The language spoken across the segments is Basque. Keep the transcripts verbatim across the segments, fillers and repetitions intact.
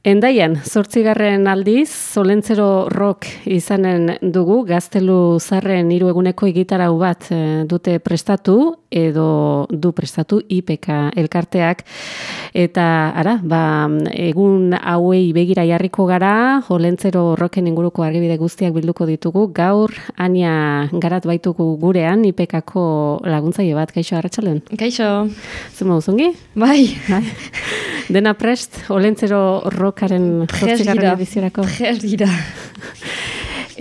Endaian, zortzigarren aldiz, Olentzero Rock izanen dugu, Gaztelu Zarren hiru eguneko egitarau bat e, dute prestatu, edo du prestatu I P K elkarteak, eta ara, ba, egun hauei begira jarriko gara, Olentzero Rocken inguruko argibide guztiak bilduko ditugu, gaur Ania Garat baitugu gurean, I P K-ko laguntzaile bat, kaixo, arratsaldeon? Kaixo. Zuma uzungi? Bai. Bai. Dena prest, Olentzero Rockaren zortzigarren ediziorako. Prest dira.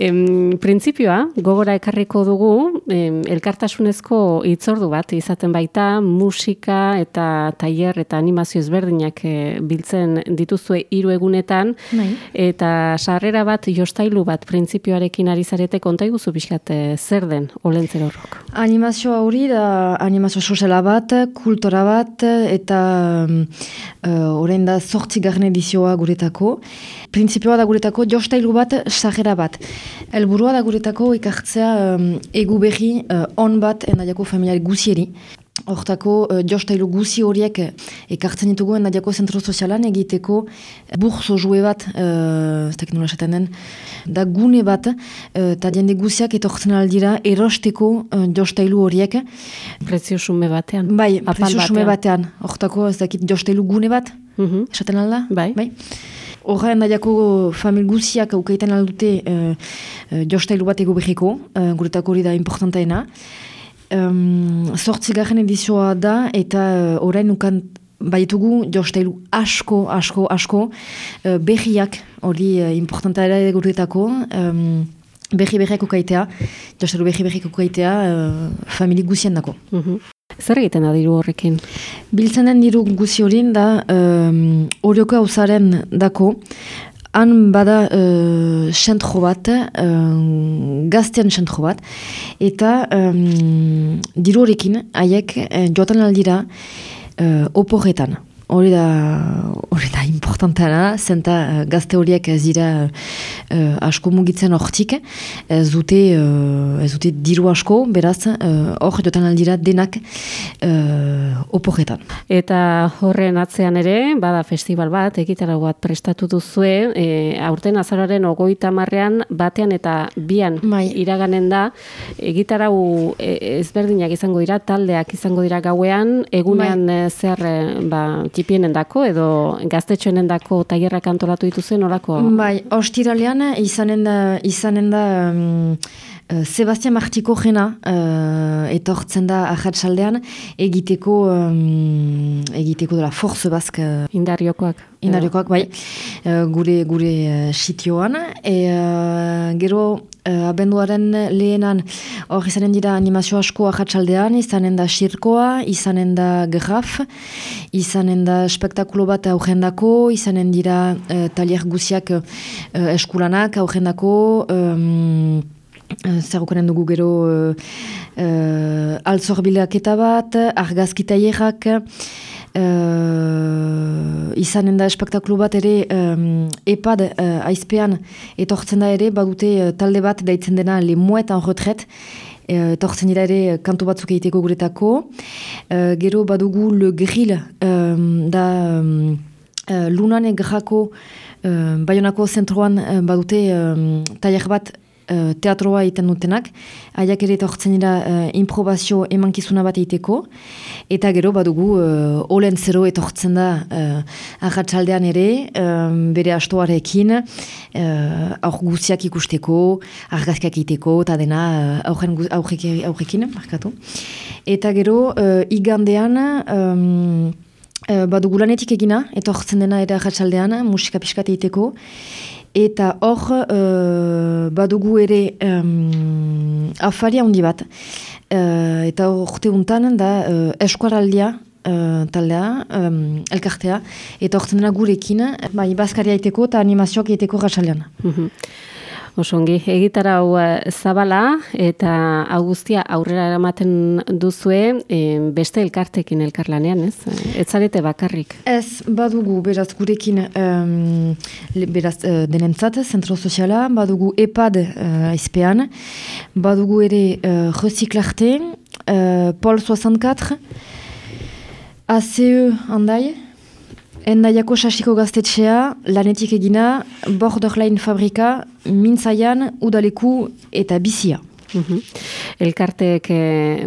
Em, printzipioa, gogora ekarriko dugu, em, elkartasunezko hitzordu bat izaten baita, musika eta tailer eta animazio ezberdinak e, biltzen dituzue hiru egunetan, Bai. eta sarrera bat, jostailu bat, printzipioarekin ari zarete, konta iguzu pixkat e, zer den Olentzero Rock? Animazio hori da animazio soziala bat, kultura bat, eta uh, orain da zortzigarren edizioa guretako. Printzipioa da guretako jostailu bat, sarrera bat. Helburua da guretako ikartzea um, egu berri uh, on bat endaiako familiari guzieri. Hortako uh, jostailu guzi horiek ekartzen ditugu endaiako zentro sozialan egiteko burzo jue bat, uh, ez dakit nola esaten den, da gune bat, eta uh, jende guziak etortzen aldira erosteko uh, jostailu horiek. Prezio sume batean? Bai, prezio sume batean. Hortako ez dakit jostailu gune bat, uh-huh. esaten alda? Bai. Bai. Horra endaiako famil guziak aukaiten aldute uh, uh, jostailu bat ego behiko, uh, guretako hori da importantaena. Um, Zortzigarren edizioa da eta uh, orain nukan baitugu jostailu asko, asko, asko uh, berriak hori uh, importantaera guretako. Um, berri berriak ukaitea, jostailu berri berriak ukaitea uh, famili guzien dako. Uh-huh. Zer egiten da diru horrekin? Biltzen den diru guzi horien da um, orioko hauzaren dako, han bada uh, sentro bat, uh, gaztean sentro bat, eta um, diru horrekin haiek uh, joatan aldira uh, oporretan. Hori da, hori da importantana, zenta uh, gazte horiek ez dira uh, asko mugitzen hortik, ez dute, uh, ez dute diru asko, beraz, hor uh, jotan aldira denak uh, oporretan. Eta horren atzean ere, bada festival bat, egitarau bat prestatu duzue, e, aurten azaroaren ogoita marrean, batean eta bian Mai. iraganen da, egitarau e, ezberdinak izango dira, taldeak izango dira gauean, egunean Mai. zer, ba, tipienen dako, edo gaztetxoenen dako tailerrak antolatu dituzen, orako? Bai, ostiralean izanen da, izanen da um, uh, Sebastian Martiko jena uh, etortzen da ahatsaldean egiteko um, egiteko dela Force Basque uh, Indariokoak. Indariokoak, bai, uh, gure gure uh, sitioan, e uh, gero uh, abenduaren lehenan hor izanen dira animazio asko ahatsaldean, izanen da sirkoa, izanen da graf, izanen da spektakulo bat aurrendako, izanen dira uh, talier guziak uh, eskulanak aurrendako, um, zer okaren dugu gero uh, uh, altzorbilaketa bat, argazki tailerak, Uh, izanen da espektakulu bat ere um, epad uh, aizpean etortzen da ere, badute uh, talde bat daitzen dena Le Mouet en Retret, uh, etortzen dira ere kantu batzuk egiteko guretako. Uh, gero badugu Le Grill, um, da um, uh, Lunan egrako uh, Bayonako zentroan uh, badute um, tailer bat Uh, teatroa egiten dutenak, haiak ere etortzen dira uh, improbazio emankizuna bat egiteko, eta gero badugu uh, Olentzero etortzen da uh, arratsaldean ere, um, bere astoarekin, uh, aur guziak ikusteko, argazkiak egiteko, eta dena uh, aurrekin, markatu. Eta gero, uh, igandean, um, uh, badugu lanetik egina, etortzen dena ere arratsaldean, musika pixkat egiteko, eta hor uh, badugu ere um, afaria handi bat. Uh, eta orte untan da uh, eskuaraldia uh, taldea, um, elkartea, eta orten dena gurekin, bai, bazkaria iteko eta animazioak iteko raxalean. Mm-hmm. Osongi, egitarau zabala eta augustia aurrera eramaten duzue e, beste elkartekin elkarlanean, ez? Ez zarete bakarrik? Ez, badugu, beraz, gurekin um, beraz, uh, denentzat, zentro soziala, badugu epad uh, aizpean, badugu ere uh, recyclarte, uh, Paul soixante-quatre, A C E handai, Endaiako sasiko gaztetxea, lanetik egina, borderline fabrika, mintzaian, udaleku eta bizia. Uhum. Elkarteek e,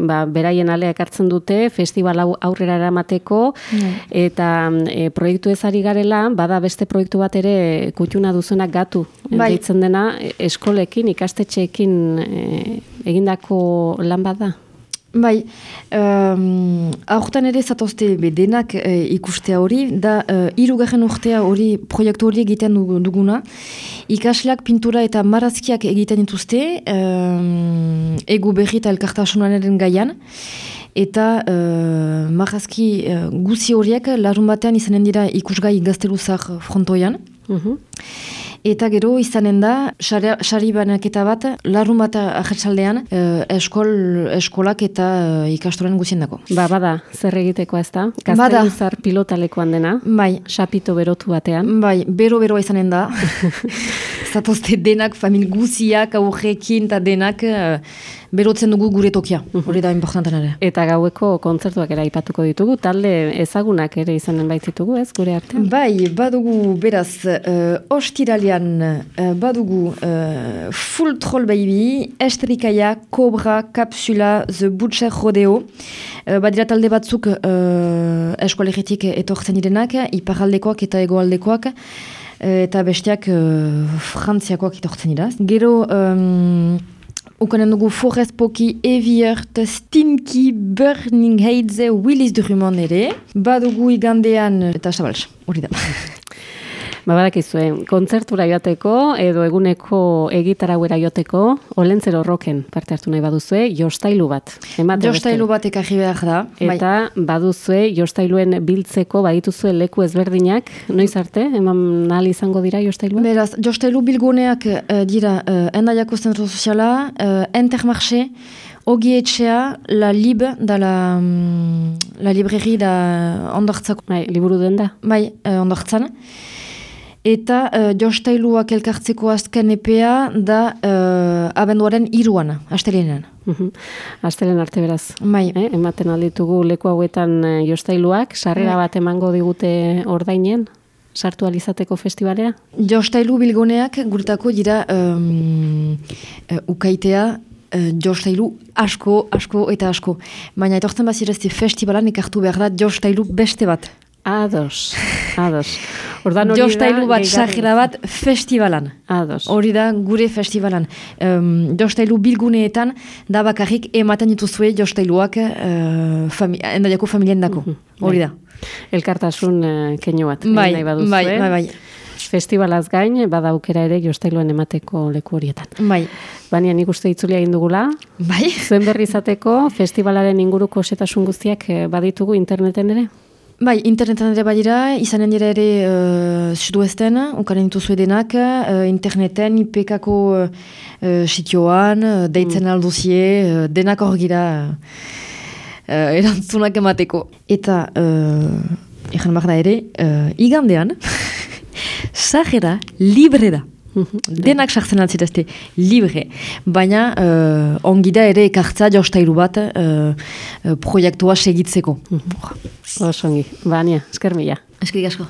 ba, beraien alea ekartzen dute, festival hau aurrera eramateko, mm. eta e, proiektu ezari garela, bada beste proiektu bat ere kutxuna duzunak gatu. Bai. Deitzen dena, eskolekin, ikastetxeekin e, egindako lan bat da? Bai, um, aurten ere zatozte denak e, ikustea hori, da uh, hirugarren urtea hori proiektu hori egiten duguna. Ikasleak pintura eta marazkiak egiten dituzte, um, egu berri eta elkartasunaren gaian. Eta uh, marazki uh, guzi horiek larun batean izanen dira ikusgai gazteluzar frontoian. Uh-huh. Eta gero izanen da, sari banaketa bat, larun bat ahetsaldean, eh, eskol, eskolak eta eh, ikastoren guzien dako. Ba, bada, zer egiteko ez da? Gazteluzar pilotalekoan dena? Bai. Sapito berotu batean? Bai, bero-bero izanen da. Zatozte denak, famil guziak, aurrekin eta denak, eh, berotzen dugu gure tokia. Hori da importanten ere. Eta gaueko kontzertuak ere aipatuko ditugu, talde ezagunak ere izanen baititugu, ez, gure artean? Bai, badugu beraz, uh, ostiralian uh, badugu uh, Full Troll Baby, Esterikaia, Cobra, Kapsula, The Butcher Rodeo. Uh, badira talde batzuk uh, eskolegitik etortzen direnak, iparaldekoak eta egoaldekoak, uh, eta besteak uh, frantziakoak etortzen dira. Gero... Um, Ukanen dugu Forest Poki, Eviert, Stinky, Burning Heidze, Willis Drummond ere. Badugu igandean, eta sabals, hori da. Ba, badakizue, kontzertura joateko, edo eguneko egitarauera joateko, Olentzero Rocken parte hartu nahi baduzue, jostailu bat. Jostailu bat ekarri behar da. Eta bai. Baduzue, jostailuen biltzeko, badituzue leku ezberdinak, noiz arte, eman ahal izango dira jostailua? Beraz, jostailu bilguneak uh, dira, uh, Endaiako zentro soziala, uh, Intermarché, Ogi etxea, la lib, da la, um, la libreri da ondortzako. Bai, liburu den da? Bai, uh, ondortzan. Eta uh, jostailuak elkartzeko azken epea da uh, abenduaren iruan, astelenean. Uhum. Astelen arte beraz. Bai. Eh? Ematen alditugu leku hauetan uh, jostailuak, sarrera bat emango digute ordainen, sartu alizateko festivalera? Jostailu bilguneak guretako dira um, uh, ukaitea, uh, jostailu asko, asko eta asko. Baina etortzen bazirezti festivalan ekartu behar da jostailu beste bat. Ados, ados. Jostailu bat, sajera bat, festivalan. Ados. Hori da gure festivalan. Um, jostailu bilguneetan, da bakarrik ematen dituzue jostailuak uh, fami endaiako familien dako. Hori da. Elkartasun uh, keino bat. Bai, bai, bai, bai. Festivalaz gain, bada aukera ere jostailuen emateko leku horietan. Bai. Baina nik uste itzulia egin dugula. Bai. Zuen berri izateko, festivalaren inguruko osetasun guztiak baditugu interneten ere? Bai, internetan ere badira, izanen dira ere uh, suduesten, ukaren dituzue denak, uh, interneten, I P K-ko uh, sitioan, uh, deitzen mm. alduzie, uh, denak hor gira uh, erantzunak emateko. Eta, uh, egan behar da ere, uh, igandean, sajera libre da. Denak sartzen altzitazte libre, baina uh, ongi da ere ekartza jostailu bat uh, uh, proiektua segitzeko. Osongi, Bania, esker mila. Eskerik asko.